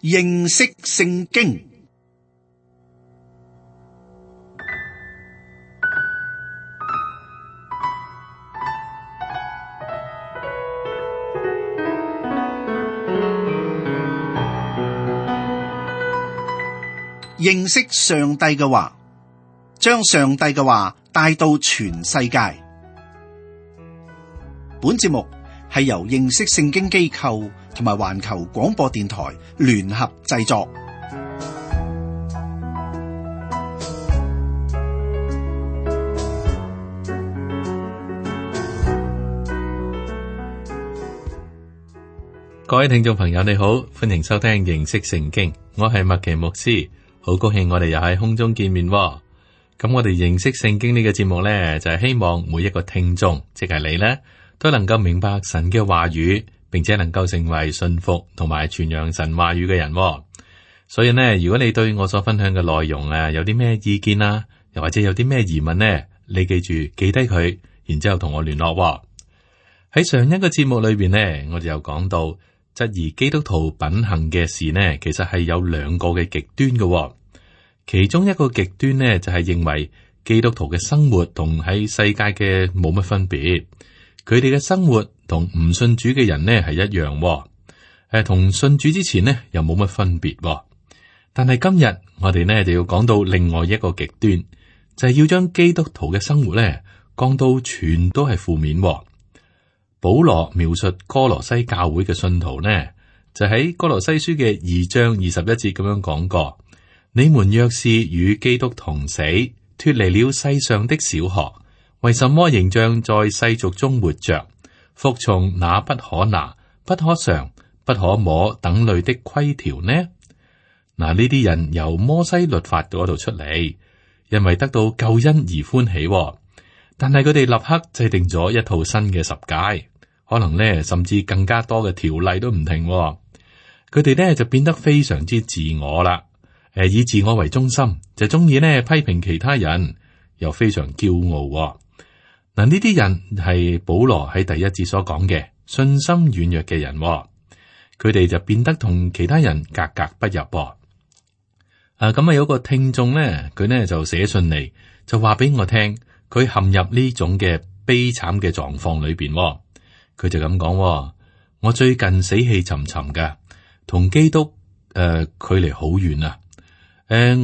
認識聖經。認識上帝嘅話，將上帝嘅話帶到全世界。本節目係由認識聖經機構同埋環球廣播電台聯合製作。各位聽眾朋友，你好，歡迎收聽認識聖經，我係麥奇牧師。好高興我哋又喺空中見面喎。咁我哋認識聖經呢個節目呢，就係希望每一個聽眾，即係你呢，都能夠明白神嘅話語，並且能夠成為信服同埋傳揚神話語嘅人喎。所以呢，如果你對我所分享嘅內容有啲咩意見啊，又或者有啲咩疑問呢，你記住記低佢，然之後同我聯絡喎。喺上一個節目裏邊呢，我哋又講到質疑基督徒品行嘅事呢，其實係有兩個嘅極端嘅喎。其中一個極端呢，就係認為基督徒嘅生活同喺世界嘅冇乜分別，佢哋嘅生活同唔信主嘅人呢係一樣喎，同信主之前呢又冇乜分別喎。但係今日我哋呢就要講到另外一個極端，就係要將基督徒嘅生活呢降到全都係負面喎。保羅描述哥羅西教會嘅信徒呢，就喺哥羅西書嘅2章21節咁樣講過。你們若是與基督同死，脫離了世上的小學，為什麼仍像在世俗中活着，服從那不可拿、不可嘗、不可摸等類的規條呢？嗱，呢啲人由摩西律法嗰度出嚟，因為得到救恩而歡喜，但係佢哋立刻制定咗一套新嘅十誡，可能呢甚至更加多嘅條例都唔停。佢哋呢就變得非常之自我啦。以自我為中心，就中意呢批評其他人，又非常驕傲。嗱，呢啲人係保羅喺第一節所講嘅信心軟弱嘅人，佢哋就變得同其他人格格不入。咁有個聽眾呢，佢呢就寫信嚟，就話俾我聽，佢陷入呢種嘅悲慘嘅狀況裏邊。佢就咁講：我最近死氣沉沉嘅，同基督距離好遠啊！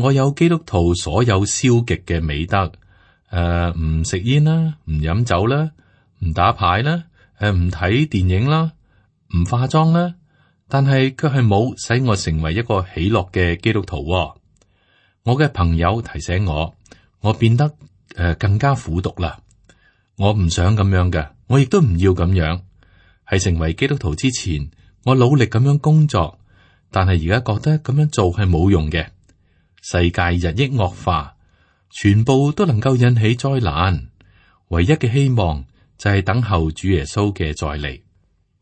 我有基督徒所有消極嘅美德，唔食煙啦，唔飲酒啦，唔打牌啦，唔睇電影啦，唔化妝啦，但係卻係冇使我成為一個喜樂嘅基督徒。我嘅朋友提醒我，我變得更加苦毒啦。我唔想咁樣嘅，我亦都唔要咁樣。喺成為基督徒之前，我努力咁樣工作，但係而家覺得咁樣做係冇用嘅。世界日益惡化，全部都能夠引起災難。唯一嘅希望就係等候主耶穌嘅再嚟。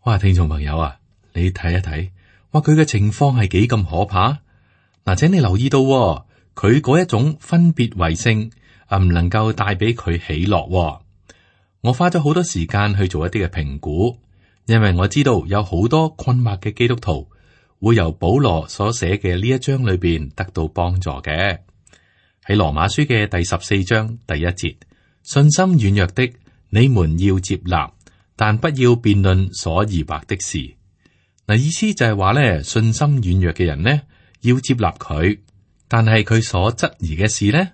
哇，聽眾朋友啊，你睇一睇，哇，佢嘅情況係幾咁可怕。嗱，請你留意到，佢嗰一種分別為聖唔能夠帶俾佢喜樂。我花咗好多時間去做一啲嘅評估，因為我知道有好多困惑嘅基督徒會由保羅所寫嘅呢一章裏邊得到幫助嘅。喺羅馬書嘅第14章第1節，信心軟弱的你們要接納，但不要辯論所疑惑的事。嗱，意思就係話咧，信心軟弱嘅人呢，要接納佢，但係佢所質疑嘅事呢，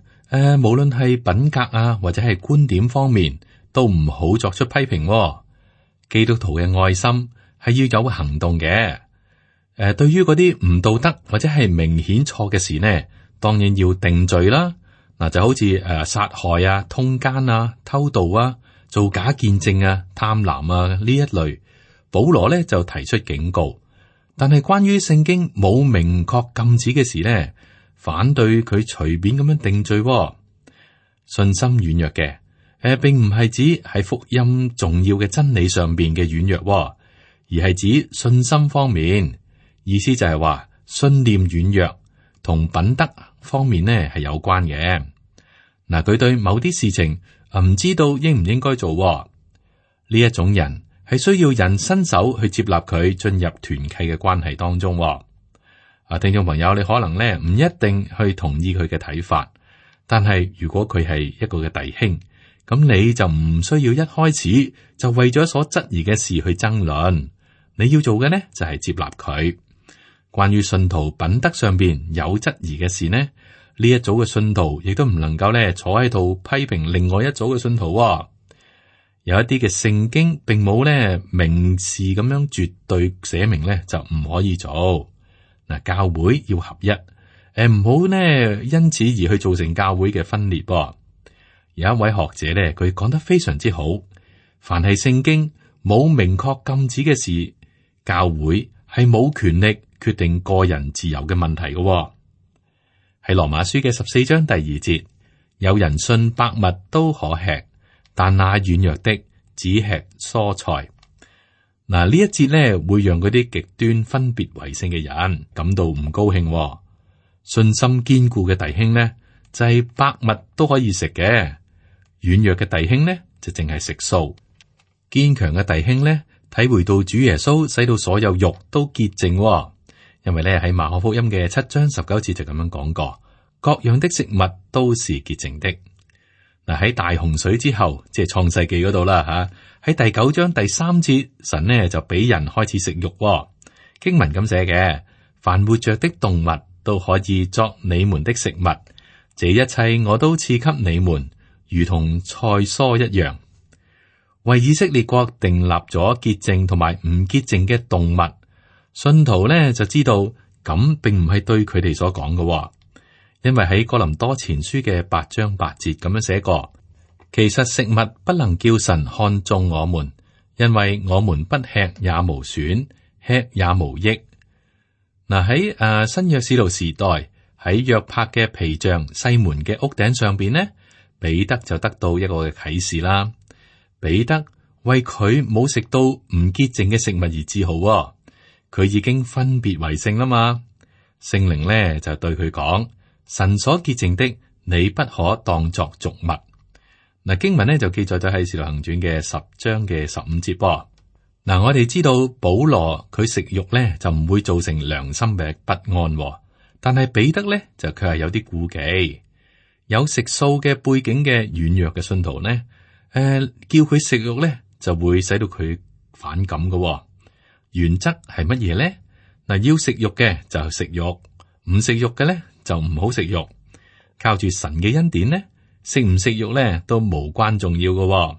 無論係品格啊或者係觀點方面，都唔好作出批評。基督徒嘅愛心係要有行動嘅。對於嗰啲唔道德或者係明顯錯嘅事呢，當然要定罪啦。嗱，就好似殺害啊、通姦啊、偷盜啊、做假見證啊、貪婪啊呢一類，保羅呢就提出警告。但係關於聖經冇明確禁止嘅事呢，反對佢隨便咁樣定罪。信心軟弱嘅，並唔係指喺福音重要嘅真理上邊嘅軟弱，而係指信心方面。意思就係話信念軟弱同品德方面呢係有關嘅。嗱，佢對某啲事情唔知道應唔應該做，呢一種人係需要人伸手去接納佢進入團契嘅關係當中。聽眾朋友，你可能咧唔一定去同意佢嘅睇法，但係如果佢係一個嘅弟兄，咁你就唔需要一開始就為咗所質疑嘅事去爭論。你要做嘅呢，就係接納佢。關於信徒品德上邊有質疑嘅事呢，呢一組嘅信徒亦都唔能夠咧坐喺度批評另外一組嘅信徒。有一啲嘅聖經並冇咧明示咁樣絕對寫明咧就唔可以做。嗱，教會要合一，唔好呢因此而去造成教會嘅分裂。有一位學者咧，佢講得非常之好。凡係聖經冇明確禁止嘅事，教會係冇權力決定個人自由嘅問題嘅。喺羅馬書嘅14章第2節，有人信百物都可吃，但那軟弱的只吃蔬菜。嗱，呢一節咧會讓嗰啲極端分別為聖嘅人感到唔高興。信心堅固嘅弟兄呢，就係百物都可以食嘅；軟弱嘅弟兄呢，就淨係食素。堅強嘅弟兄呢，體會到主耶穌使到所有肉都潔淨。因為咧喺馬可福音嘅7章19節就咁樣講過，各樣的食物都是潔淨的。嗱，喺大洪水之後，即係創世紀嗰度啦吓，喺第9章第3節，神呢就俾人開始食肉。經文咁寫嘅，凡活着的動物都可以作你們的食物，這一切我都賜給你們，如同菜蔬一樣。為以色列國訂立咗潔淨同埋唔潔淨嘅動物，信徒呢就知道咁並唔係對佢哋所講嘅。因為喺哥林多前書嘅8章8節咁樣寫過，其實食物不能叫神看中我們，因為我們不吃也無損，吃也無益。嗱，喺新約使徒時代，喺約帕嘅皮匠西門嘅屋頂上邊呢，彼得就得到一個嘅啟示啦。彼得為佢冇食到唔潔淨嘅食物而自豪，佢已經分別為聖啦嘛。聖靈呢就對佢講。神所潔淨的，你不可當作俗物。嗱，經文呢就記載咗喺《使徒行傳》嘅10章嘅15節噃。嗱，我哋知道保羅佢食肉呢就唔會造成良心嘅不安，但係彼得呢就佢係有啲顧忌。有食素嘅背景嘅軟弱嘅信徒呢，叫佢食肉呢就會使到佢反感嘅。原則係乜嘢呢？嗱，要食肉嘅就食肉，唔食肉嘅呢，就唔好食肉。靠住神嘅恩典呢，食唔食肉呢都無關重要嘅。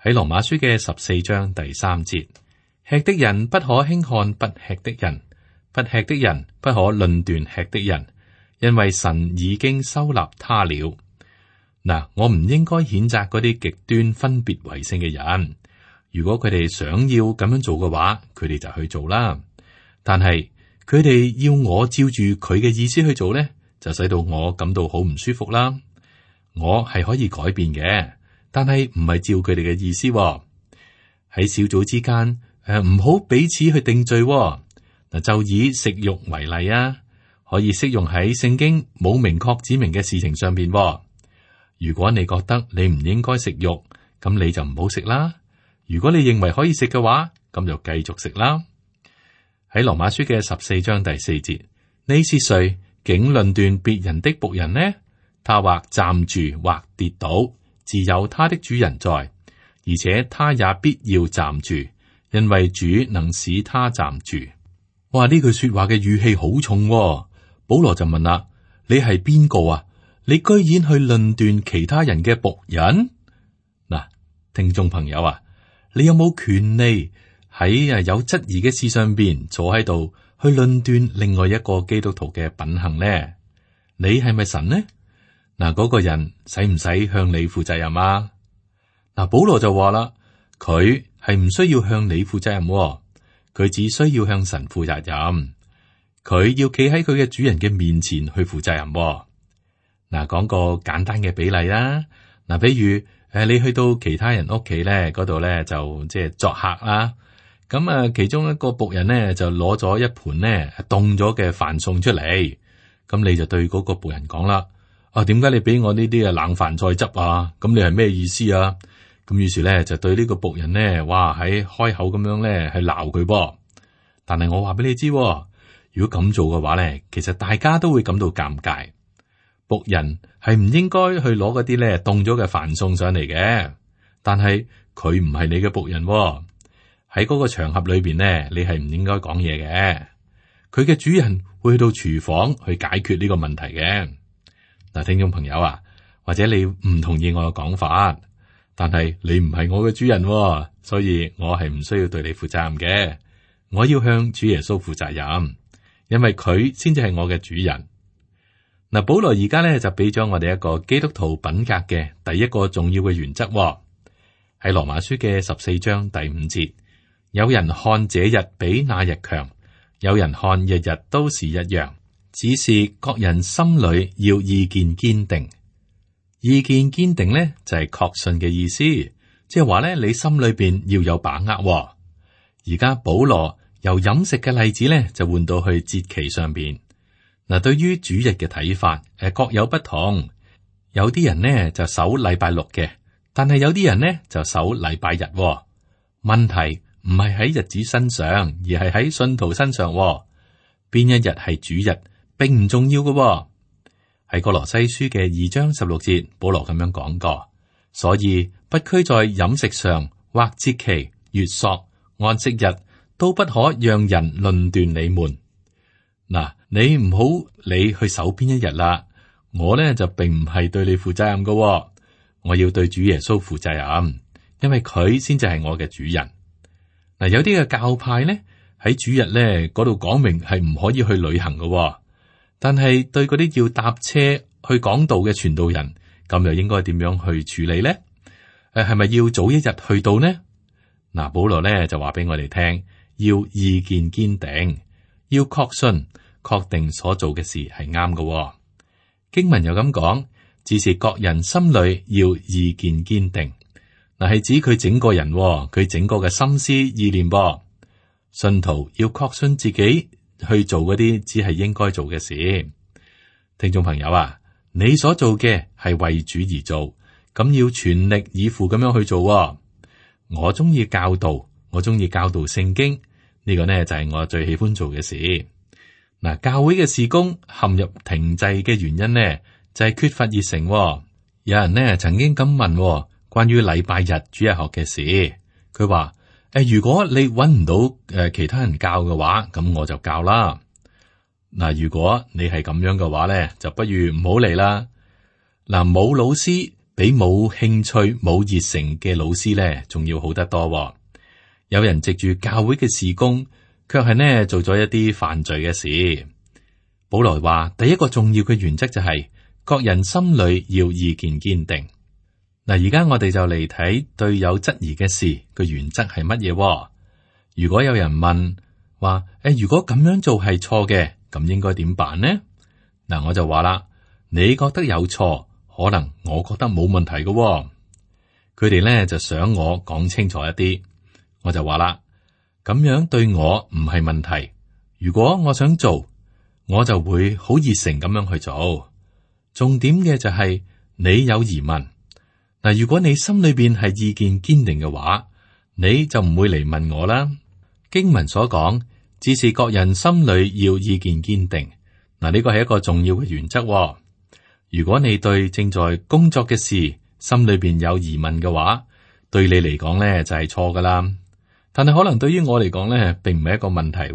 喺羅馬書嘅14章第3節，吃的人不可輕看不吃的人，不吃的人不可論斷吃的人，因為神已經收納他了。嗱，我唔應該譴責嗰啲極端分別為聖嘅人。如果佢哋想要咁樣做嘅話，佢哋就去做啦。但係佢哋要我照住佢嘅意思去做呢，就使到我感到好唔舒服啦。我係可以改變嘅，但係唔係照佢哋嘅意思。喺小組之間，唔好彼此去定罪。嗱，就以食肉為例啊，可以適用喺聖經冇明確指明嘅事情上邊。如果你覺得你唔應該食肉，咁你就唔好食啦。如果你認為可以食嘅話，咁就繼續食啦。喺羅馬書嘅14章第4節，你是誰竟論斷別人的僕人呢？他或站住或跌倒，自有他的主人在，而且他也必要站住，因為主能使他站住。哇！呢句說話嘅語氣好重喎。保羅就問啦：你係邊個啊？你居然去論斷其他人嘅僕人？嗱，聽眾朋友啊，你有冇權利喺有質疑嘅事上邊坐喺度去論斷另外一個基督徒嘅品行呢？你係咪神呢？嗱，嗰個人使唔使向你負責任啊？嗱，保羅就話啦，佢係唔需要向你負責任喎，佢只需要向神負責任。佢要企喺佢嘅主人嘅面前去負責任喎。嗱，講個簡單嘅比例啦。嗱，比如你去到其他人屋企咧，嗰度咧就即係作客啦。咁啊，其中一個僕人咧就攞咗一盤咧凍咗嘅飯餸出嚟。咁你就對嗰個僕人講啦：啊，點解你俾我呢啲嘅冷飯菜汁啊？咁你係咩意思啊？咁於是咧就對呢個僕人咧，哇喺開口咁樣咧係鬧佢噃。但係我話俾你知，如果咁做嘅話咧，其實大家都會感到尷尬。僕人係唔應該去攞嗰啲咧凍咗嘅飯送上嚟嘅，但係佢唔係你嘅僕人喎。喺嗰個場合裏邊咧，你係唔應該講嘢嘅。佢嘅主人會去到廚房去解決呢個問題嘅。嗱，聽眾朋友啊，或者你唔同意我嘅講法，但係你唔係我嘅主人喎，所以我係唔需要對你負責任嘅。我要向主耶穌負責任，因為佢先至係我嘅主人。嗱，保羅而家咧就俾咗我哋一個基督徒品格嘅第一個重要嘅原則喎，喺羅馬書嘅14章第5節。有人看這日比那日強，有人看日日都是一樣，只是各人心裏要意見堅定。意見堅定咧就係確信嘅意思，即係話咧你心裏邊要有把握喎。而家保羅由飲食嘅例子咧就換到去節期上邊。嗱，對於主日嘅睇法各有不同，有啲人呢就守禮拜六嘅，但係有啲人呢就守禮拜日喎。問題唔係喺日子身上，而係喺信徒身上喎。邊一日係主日，並唔重要嘅喎。喺哥羅西書嘅2章16節，保羅咁樣講過，所以不拘在飲食上或節期、月朔、安息日，都不可讓人論斷你們。嗱，你唔好理去守邊一日啦。我呢就並唔係對你負責任嘅喎，我要對主耶穌負責任，因為佢先至係我嘅主人。嗱，有啲嘅教派咧喺主日咧嗰度講明係唔可以去旅行嘅喎，但係對嗰啲要搭車去講道嘅傳道人，咁又應該點樣去處理咧？係咪要早一日去到呢？嗱，保羅咧就話俾我哋聽，要意見堅定，要確信、確定所做嘅事係啱嘅。經文又咁講，只是各人心裏要意見堅定。嗱，係指佢整個人，佢整個嘅心思意念噃。信徒要確信自己去做嗰啲只係應該做嘅事。聽眾朋友啊，你所做嘅係為主而做，咁要全力以赴咁樣去做喎。我中意教導，我中意教導聖經，呢個呢就係我最喜歡做嘅事。嗱，教會嘅事工陷入停滯嘅原因呢，就係缺乏熱誠喎。有人呢曾經咁問喎，關於禮拜日主日學嘅事，佢話如果你揾唔到其他人教嘅話，咁我就教啦。嗱，如果你係咁樣嘅話咧，就不如唔好嚟啦。嗱，冇老師比冇興趣冇熱誠嘅老師咧，仲要好得多喎。有人藉住教會嘅事工，卻係呢做咗一啲犯罪嘅事。保羅話第一個重要嘅原則就係各人心裏要意見堅定。嗱，而家我哋就嚟睇對有質疑嘅事個原則係乜嘢？如果有人問話，如果咁樣做係錯嘅，咁應該點辦呢？嗱，我就話啦，你覺得有錯，可能我覺得冇問題嘅。佢哋咧就想我講清楚一啲，我就話啦，咁樣對我唔係問題。如果我想做，我就會好熱誠咁樣去做。重點嘅就係你有疑問。嗱，如果你心裏邊係意見堅定嘅話，你就唔會嚟問我啦。經文所講，只是各人心裏要意見堅定。嗱，呢個係一個重要嘅原則。如果你對正在工作嘅事心裏邊有疑問嘅話，對你嚟講咧就係錯噶啦。但係可能對於我嚟講咧，並唔係一個問題。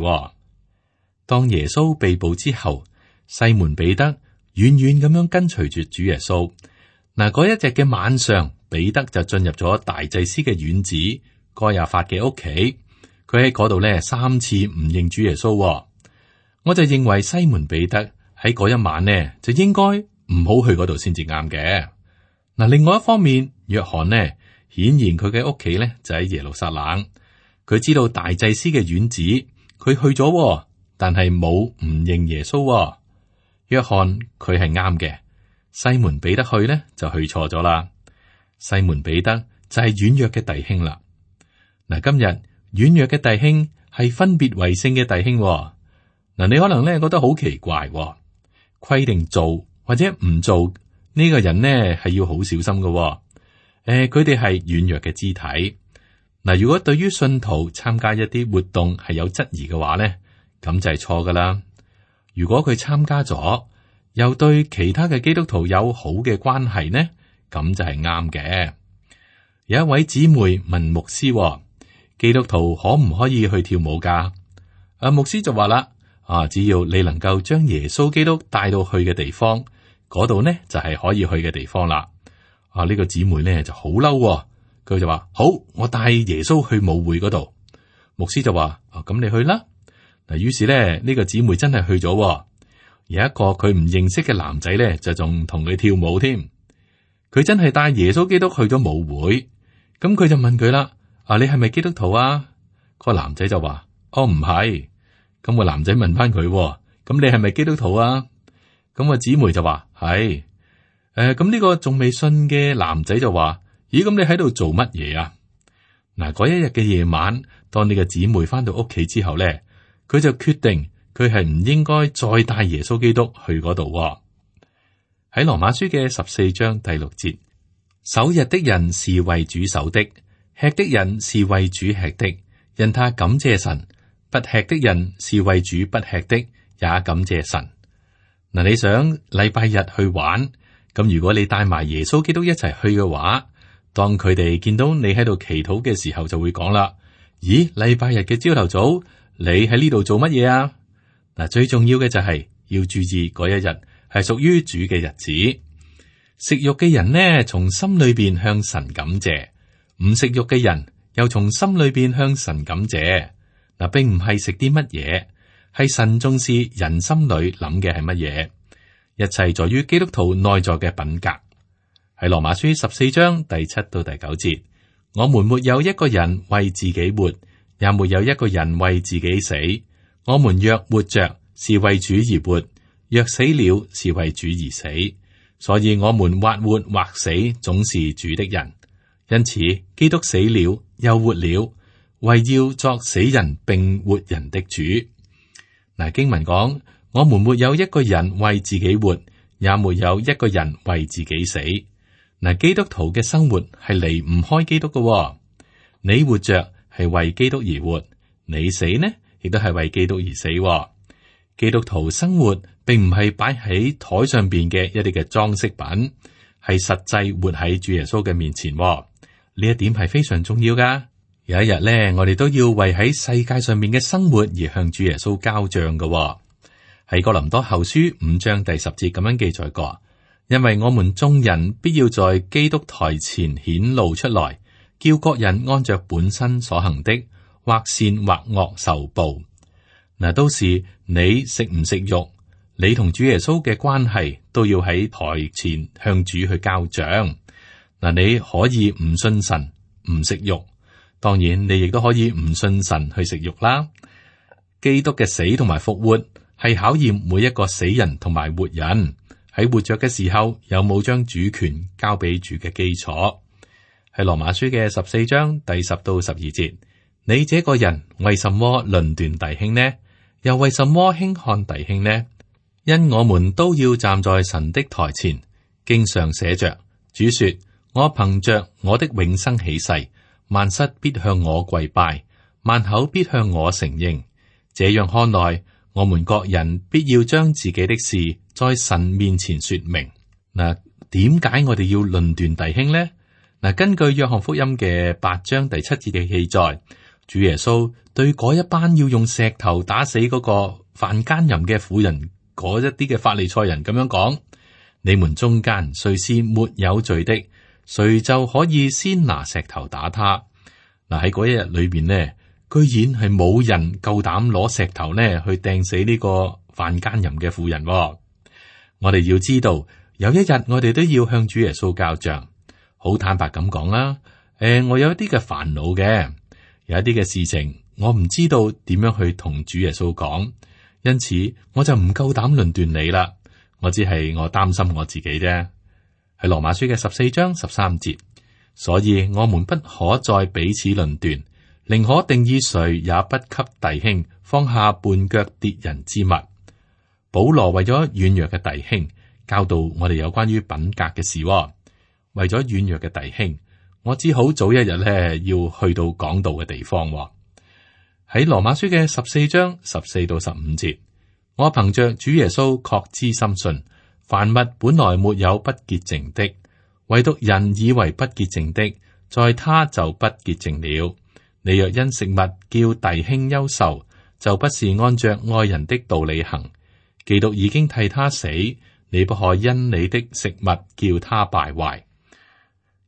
當耶穌被捕之後，西門彼得遠遠咁樣跟隨住主耶穌。嗱，嗰一日嘅晚上，彼得就進入咗大祭司嘅院子該亞法嘅屋企。佢喺嗰度咧3次唔認主耶穌。我就認為西門彼得喺嗰一晚呢，就應該唔好去嗰度先至啱嘅。嗱，另外一方面，約翰呢，顯然佢嘅屋企咧就喺耶路撒冷。佢知道大祭司嘅院子，佢去咗，但係冇唔認耶穌。約翰佢係啱嘅。西門彼得去呢，就去錯咗啦。西門彼得就係軟弱嘅弟兄啦。嗱，今日軟弱嘅弟兄係分別為聖嘅弟兄。嗱，你可能咧覺得好奇怪，規定做或者唔做呢個人呢係要好小心嘅。佢哋係軟弱嘅肢體。嗱，如果對於信徒參加一啲活動係有質疑嘅話咧，咁就係錯噶啦。如果佢參加咗，又對其他嘅基督徒有好嘅關係呢，咁就係啱嘅。有一位姊妹問牧師，基督徒可唔可以去跳舞噶？牧師就話啦，只要你能夠將耶穌基督帶到去嘅地方，嗰度呢就係可以去嘅地方啦。呢個姊妹呢就好嬲，佢就話：好，我帶耶穌去舞會嗰度。牧師就話：咁你去啦。嗱，於是呢，呢個姊妹真係去咗。有一個佢唔認識嘅男仔呢，就仲同佢跳舞添。佢真係帶耶穌基督去咗舞會。咁佢就問佢啦：你係咪基督徒啊？個男仔就話：唔係。咁個男仔問翻佢：咁你係咪基督徒啊？咁個姊妹就話：係。咁呢個仲未信嘅男仔就話：咦，咁你喺度做乜嘢啊？嗱，嗰一日嘅夜晚，當你嘅姊妹翻到屋企之後咧，佢就決定佢係唔應該再帶耶穌基督去嗰度。喺羅馬書嘅14章第6節，守日的人是為主守的，吃的人是為主吃的，因他感謝神；不吃的人是為主不吃的，也感謝神。嗱，你想禮拜日去玩，咁如果你帶埋耶穌基督一齊去嘅話，當佢哋見到你喺度祈禱嘅時候，就會講啦：咦，禮拜日嘅朝頭早，你喺呢度做乜嘢啊？嗱，最重要嘅就係要注意嗰一日係屬於主嘅日子。食肉嘅人呢，從心裏邊向神感謝；唔食肉嘅人又從心裏邊向神感謝。嗱，並唔係食啲乜嘢，係神重視人心裏諗嘅係乜嘢。一切在於基督徒內在嘅品格。喺羅馬書14章第7到第9節，我們沒有一個人為自己活，也沒有一個人為自己死。我們若活着，是為主而活；若死了，是為主而死。所以我們或活或死，總是主的人。因此，基督死了又活了，為要作死人並活人的主。嗱，經文講，我們沒有一個人為自己活，也沒有一個人為自己死。嗱，基督徒嘅生活係離唔開基督嘅。你活着係為基督而活，你死呢，亦都係為基督而死。基督徒生活並唔係擺喺台上邊嘅一啲嘅裝飾品，係實際活喺主耶穌嘅面前。呢一點係非常重要噶。有一日咧，我哋都要為喺世界上面嘅生活而向主耶穌交賬嘅。喺哥林多後書5章第10節咁樣記載過。因為我們眾人必要在基督台前顯露出來，叫各人按着本身所行的，或善或惡受報。嗱，到時你食唔食肉，你同主耶穌嘅關係都要喺台前向主去交賬。嗱，你可以唔信神唔食肉，當然你亦都可以唔信神去食肉啦。基督嘅死同埋復活係考驗每一個死人同埋活人。喺活着嘅時候，有冇將主權交俾主嘅基礎？喺羅馬書嘅14章第10到12節，你這個人為什麼論斷弟兄呢？又為什麼輕看弟兄呢？因我們都要站在神的台前，經上寫着：主說，我憑着我的永生起誓，萬膝必向我跪拜，萬口必向我承認。這樣看來，我們各人必要將自己的事在神面前說明。嗱，點解我哋要論斷弟兄呢？嗱，根據約翰福音嘅8章第7節嘅記載，主耶穌對嗰一班要用石頭打死嗰個犯奸淫嘅婦人嗰一啲嘅法利賽人咁樣講：你們中間誰是沒有罪的，誰就可以先拿石頭打他。嗱，喺嗰一日裏邊呢，居然係冇人夠膽攞石頭呢去掟死呢個犯奸淫嘅婦人。我哋要知道，有一日我哋都要向主耶穌交賬。好坦白咁講啦，我有一啲嘅煩惱嘅，有一啲嘅事情我唔知道點樣去同主耶穌講，因此我就唔夠膽論斷你啦。我只係我擔心我自己啫。係羅馬書嘅14章13節，所以我們不可再彼此論斷。寧可定意誰也不給弟兄放下絆腳跌人之物。保羅為咗軟弱嘅弟兄教導我哋有關於品格嘅事。為咗軟弱嘅弟兄，我只好早一日咧要去到講道嘅地方。喺羅馬書嘅14章14到15節，我憑着主耶穌確知深信，凡物本來沒有不潔淨的，唯獨人以為不潔淨的，在他就不潔淨了。你若因食物叫弟兄憂愁，就不是按着愛人的道理行。基督已經替他死，你不可因你的食物叫他敗壞。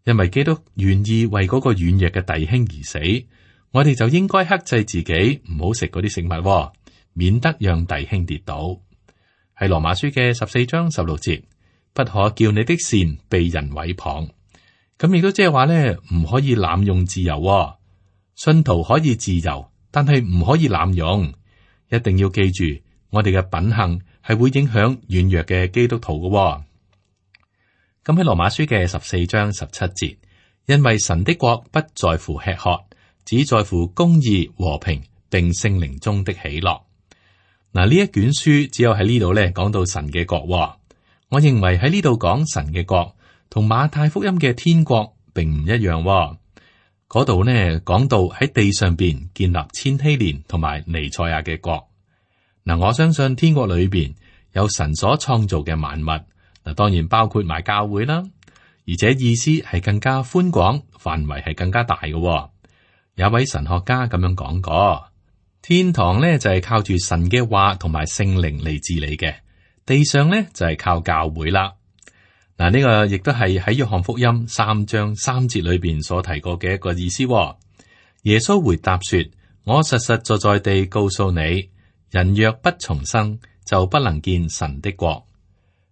因為基督願意為嗰個軟弱嘅弟兄而死，我哋就應該克制自己，唔好食嗰啲食物，免得讓弟兄跌倒。喺羅馬書嘅14章16節，不可叫你的善被人毀謗。咁亦都即係話咧，唔可以濫用自由。信徒可以自由，但係唔可以濫用。一定要記住，我哋嘅品行係會影響軟弱嘅基督徒嘅。咁喺羅馬書嘅14章17節，因為神的國不在乎吃喝，只在乎公義、和平，並聖靈中的喜樂。嗱，呢一卷書只有喺呢度咧講到神嘅國。我認為喺呢度講神嘅國，同馬太福音嘅天國並唔一樣。嗰度呢講到喺地上邊建立千禧年同埋彌賽亞嘅國。嗱，我相信天國裏邊有神所創造嘅萬物。嗱，當然包括埋教會啦，而且意思係更加寬廣，範圍係更加大嘅。有位神學家咁樣講過，天堂咧就係靠住神嘅話同埋聖靈嚟治理嘅，地上咧就係靠教會啦。嗱，呢個亦都係喺約翰福音3章3節裏邊所提過嘅一個意思。耶穌回答說：我實實在在地告訴你，人若不重生，就不能見神的國。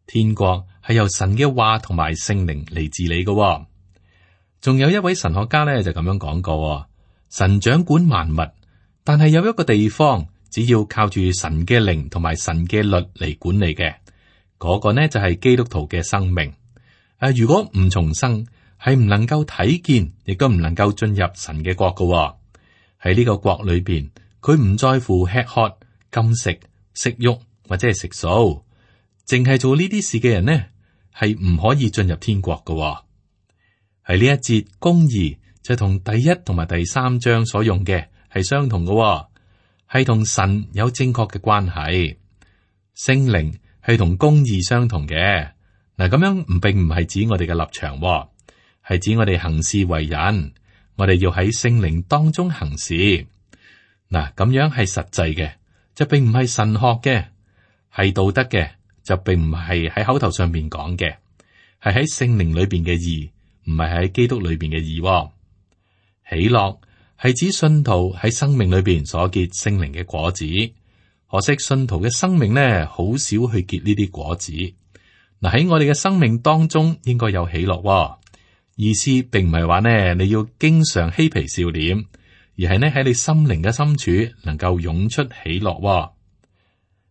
天國係由神嘅話同埋聖靈嚟治理嘅。仲有一位神學家咧就咁樣講過：神掌管萬物，但係有一個地方，只要靠住神嘅靈同埋神嘅律嚟管理嘅，嗰個呢就係基督徒嘅生命。如果唔重生，係唔能夠睇見，亦都唔能夠進入神嘅國嘅。喺呢個國裏邊，佢唔在乎吃喝、禁食、食慾或者係食素。淨係做呢啲事嘅人呢，係唔可以進入天國嘅。喺呢一節公義就同第1同埋第3章所用嘅係相同嘅，係同神有正確嘅關係。聖靈係同公義相同嘅。嗱，咁樣並唔係指我哋嘅立場，係指我哋行事為人，我哋要喺聖靈當中行事。嗱，咁樣係實際嘅，就並唔係神學嘅，係道德嘅。就並唔係喺口頭上面講嘅，係喺聖靈裏邊嘅義，唔係喺基督裏邊嘅義。喜樂係指信徒喺生命裏邊所結聖靈嘅果子。可惜信徒嘅生命呢，好少去結呢啲果子。嗱，喺我哋嘅生命當中應該有喜樂。意思並唔係話呢你要經常嬉皮笑臉，而係呢喺你心靈嘅深處能夠湧出喜樂。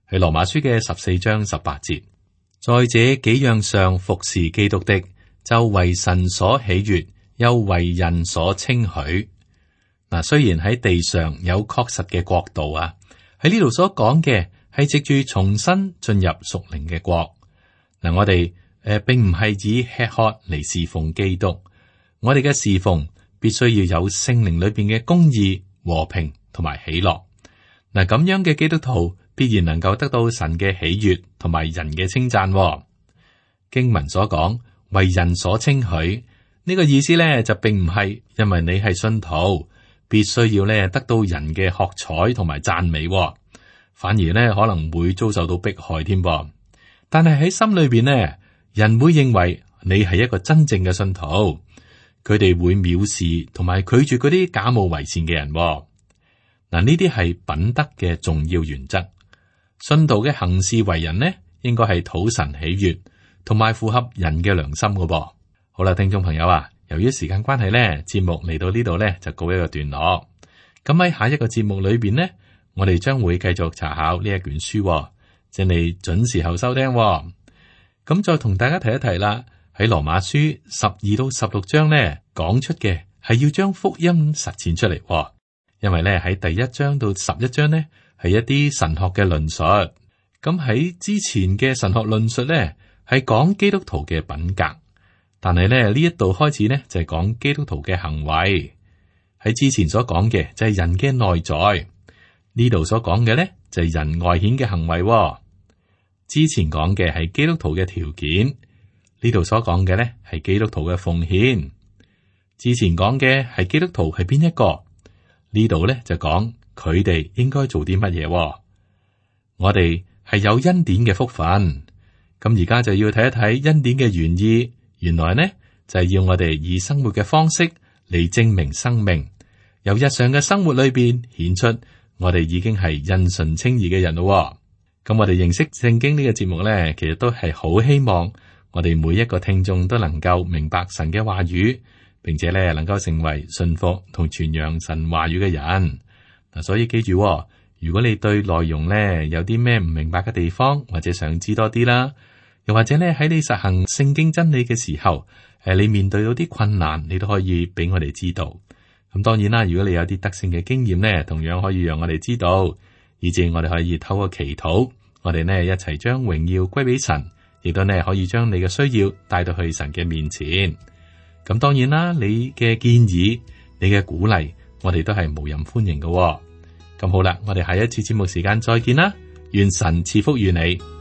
係羅馬書嘅14章18節，在這幾樣上服侍基督的，就為神所喜悅，又為人所稱許。嗱，雖然喺地上有確實嘅國度啊，喺呢度所講嘅係藉住重新進入屬靈嘅國。嗱，我哋並唔係以吃喝嚟侍奉基督，我哋嘅侍奉必須要有聖靈裏邊嘅公義、和平同埋喜樂。嗱，咁樣嘅基督徒必然能夠得到神嘅喜悅同埋人嘅稱讚。經文所講為人所稱許呢個意思咧，就並唔係因為你係信徒必須要咧得到人嘅喝彩同埋讚美，反而咧可能會遭受到迫害添噃。但係喺心裏邊呢，人會認為你係一個真正嘅信徒，佢哋會藐視同埋拒絕嗰啲假冒為善嘅人。嗱，呢啲係品德嘅重要原則。信徒嘅行事為人呢，應該係討神喜悅，同埋符合人嘅良心嘅噃。好啦，聽眾朋友啊，由於時間關係呢，節目嚟到呢度呢，就告一個段落。咁喺下一個節目裏邊呢，我哋將會繼續查考呢一卷書，請你準時候收聽。咁再同大家提一提啦，喺羅馬書12到16章呢，講出嘅係要將福音實踐出嚟。因為咧喺第1章到11章呢，係一啲神學嘅論述。咁喺之前嘅神學論述咧係講基督徒嘅品格，但係咧呢一度開始呢，就係講基督徒嘅行為。喺之前所講嘅就係人嘅內在，呢度所講嘅呢，就係人外顯嘅行為喎。之前講嘅係基督徒嘅條件，呢度所講嘅呢係基督徒嘅奉獻。之前講嘅係基督徒係邊一個，呢度呢就講佢哋應該做啲乜嘢喎。我哋係有恩典嘅福分，咁而家就要睇一睇恩典嘅原意。原來呢就係要我哋以生活嘅方式嚟證明生命，由日常嘅生活裏邊顯出我哋已經係因信稱義嘅人咯。咁我哋認識聖經呢個節目呢，其實都係好希望我哋每一個聽眾都能夠明白神嘅話語，並且呢能夠成為信服同傳揚神話語嘅人。嗱，所以記住，如果你對內容呢有啲咩唔明白嘅地方，或者想知多啲啦，又或者呢喺你實行聖經真理嘅時候，你面對到啲困難，你都可以俾我哋知道。咁當然啦，如果你有啲得勝嘅經驗呢，同樣可以讓我哋知道，以致我哋可以透過祈禱，我哋呢一齊將榮耀歸俾神，亦都呢可以將你嘅需要帶到去神嘅面前。咁當然啦，你嘅建議、你嘅鼓勵，我哋都係無任歡迎嘅。咁好啦，我哋下一次節目時間再見啦，願神賜福於你。